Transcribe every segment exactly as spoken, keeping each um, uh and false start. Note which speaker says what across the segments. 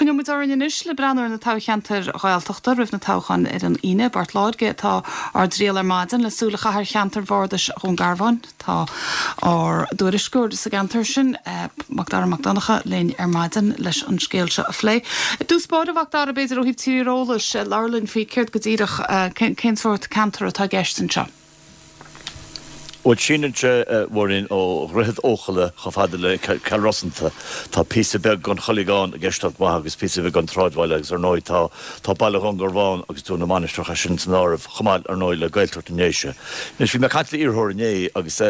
Speaker 1: Coinneoidh muid orainn anois le breathnú ar na toghcheantair Ghaeltachta roimh na toghcháin ar an Aoine. I bPort Láirge atá ár dtriall ar maidin le súil a chaitheamh ar cheantar bhardais Dhún Garbhán. Tá ár dtuairisceoir sa gceantar sin, Macdara Mac Donncha, linn ar maidin leis an scéal seo a phlé. I dtús báire, a Mhacdara, b'fhéidir ó thaobh tíreolais, labhair linn faoi céard go díreach, cén sórt ceantar atá i gceist anseo.
Speaker 2: Bhuel, síneann sé, a Mháirín, ó Dhroichead Eochalla chomh fada le Cill Rosanta. Tá píosa beag den Choileagán i gceist chomh maith agus píosa beag den tsráidbhaile agus ar ndóigh tá tá Baile Dhún Garbhán agus Dún na Mainistreach é sin san áireamh chomh maith ar ndóigh le Gaeltacht na nDéise. Anois bhí mé ag caint le iarrthóir inné agus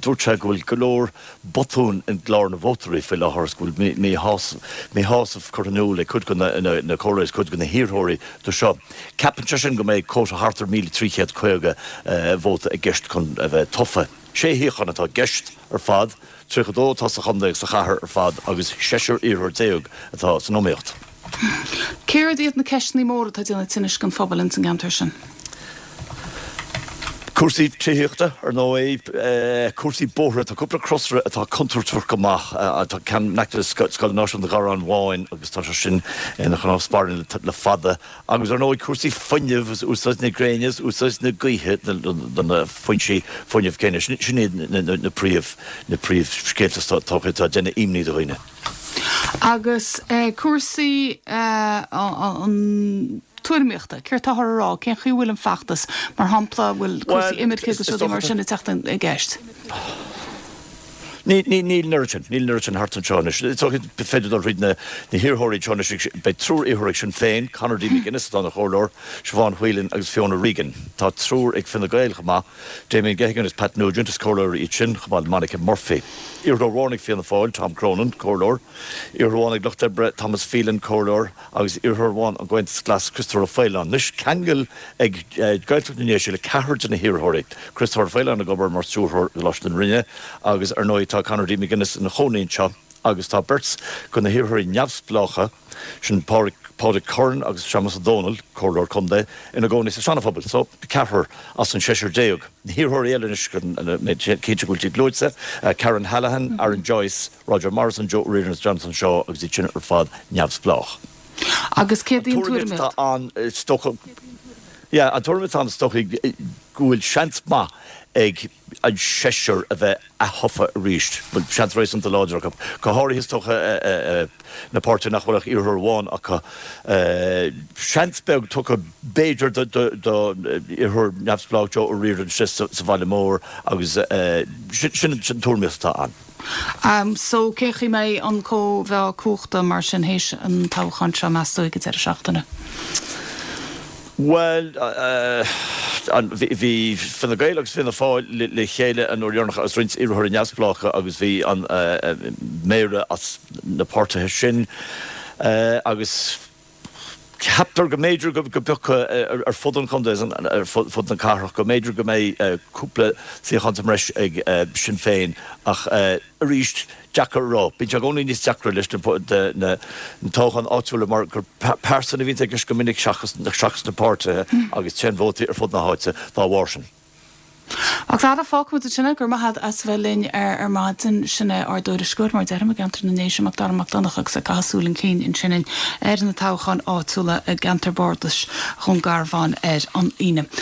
Speaker 2: dúirt sé go bhfuil go leor botún i gclár na vótóirí faoi láthair agus go bhfuil míshásamh curtha in iúl ag cuid de na comhairleoirí agus cuid de na hiarrthóirí do seo. Ceapann sé sin go mbeidh quota thart ar míle trí chéad caoga vóta i gceist chun a bheith tofa. Sé shuíochán atá i gceist ar fad, tríocha dó atá sa chontae agus sa chathair ar fad agus seisear iarrthóir déag atá san iomaíocht.
Speaker 1: Céard iad na ceisteanna móra atá ag déanamh tinnis don phobal ins an gceantar sin?
Speaker 2: Cúrsaí tithíochta, ar ndóigh, cúrsaí bóithre, tá cúpla crosaire atá contúirteach go maith, tá ceann in aice le Scoil Náisiúnta Gharrán Bháin agus tá sé sin ina chnámh spairne le fada, agus ar ndóigh cúrsaí fuinnimh agus úsáid na gréine agus úsáid na gaoithe do na foinsí fuinnimh céanna. Sin iad na príomh, na príomhscéalta is dócha atá ag déanamh imní do dhaoine.
Speaker 1: Agus cúrsaí an. tuairimíochta, céard táthar a rá, cén chaoi a bhfuil an feachtas, mar shampla, an bhfuil cúrsaí imirce agus rudaí mar sin ag teacht i gceist?
Speaker 2: Níl an oiread sin, níl an oiread sin thart anseo anois. Is dócha is féidir dul thríd na hiarrthóirí anseo anois, beidh triúr iarrthóir ag Sinn Féin, Conor D. McGuinness atá ina chomhairleoir, Siobhán Whelan agus Fiona Regan. Tá triúr ag Fine Gael chomh maith, Damien Geoghegan agus Pat Nugent, is comhairleoirí iad sin, chomh maith le Monica Murphy. Iarrthóir amháin ag Fianna Fáil, Tom Cronin, comhairleoir. Iarrthóir amháin ag Lucht Oibre, Thomas Phelan, comhairleoir. agus iarrthóir amháin ón gComhaontas Glas, Christopher Ó Faoláin. Anois, ceangal ag Gaeltacht na nDéise le ceathrar de na hiarrthóirí, Christopher Ó Faoláin ag obair mar stiúrthóir i gColáiste na Rinne agus ar ndóigh tá Conor D. McGuinness ina chónaí anseo agus tá beirt de na hiarrthóirí neamhspleácha, sin Pádraig Curran agus Séamus Ó Dónaill, Comhairleoir Contae, ina gcónaí sa Seana-Phobal. So, ceathrar as an seisear déag. Na hiarrthóirí eile anois, cinnte go bhfuil siad luaite, Karen Hallahan, Aaron Joyce, Roger Morrison, Joe O'Riordan agus Jonathan Shaw agus iad sin ar fad neamhspleách.
Speaker 1: Agus céard í an tuairim
Speaker 2: atá ann is dócha, yeah, an tuairim atá ann is dócha go bhfuil seans maith ag an seisear a bheith aththofa arís, bhfuil seans réasúnta láidir acu, go háirithe is dócha na páirtithe nach bhfuil ach iarrthóir amháin acu. Seans beag tugtha b'fhéidir do iarrthóir neamhspleách Joe O'Riordan sa bhaile mór agus sin an tuairimíocht atá ann.
Speaker 1: So, cén chaoi a mbeidh an cóimheá cumhachta mar sin théis an toghcháin seo, meas tú, ag an deireadh seachtaine?
Speaker 2: Bhuel, bhí Fine Gael agus Fianna Fáil le chéile an uair dheireanach agus roinnt iarrthóirí neamhspleácha agus bhí an méara as na páirtithe sin agus ceaptar go mb'fhéidir go bpiocfadh ar fud an chontae, ar fud na cathrach, go mb'fhéidir go mbeidh cúpla suíochán sa mbreis ag Sinn Féin ach arís, deacair a rá. Bíonn sé i gcónaí níos deacra leis na toghcháin áitiúla mar gur pearsan a bhíonn i gceist go minic seachas na páirtithe agus téann vótaí ar fud na háite dá bharr sin.
Speaker 1: A Mhacdara, fágfaimid ansin é. Go raibh maith agat as a bheith linn ar maidin. Sin é ár dtuairisceoir, mar a deirim, i gceantar na nDéise, Macdara Mac Donncha, agus ag caitheamh súil chun cinn ansin ar na toghcháin áitiúla i gceantar bardais Dhún Garbhán ar an Aoine.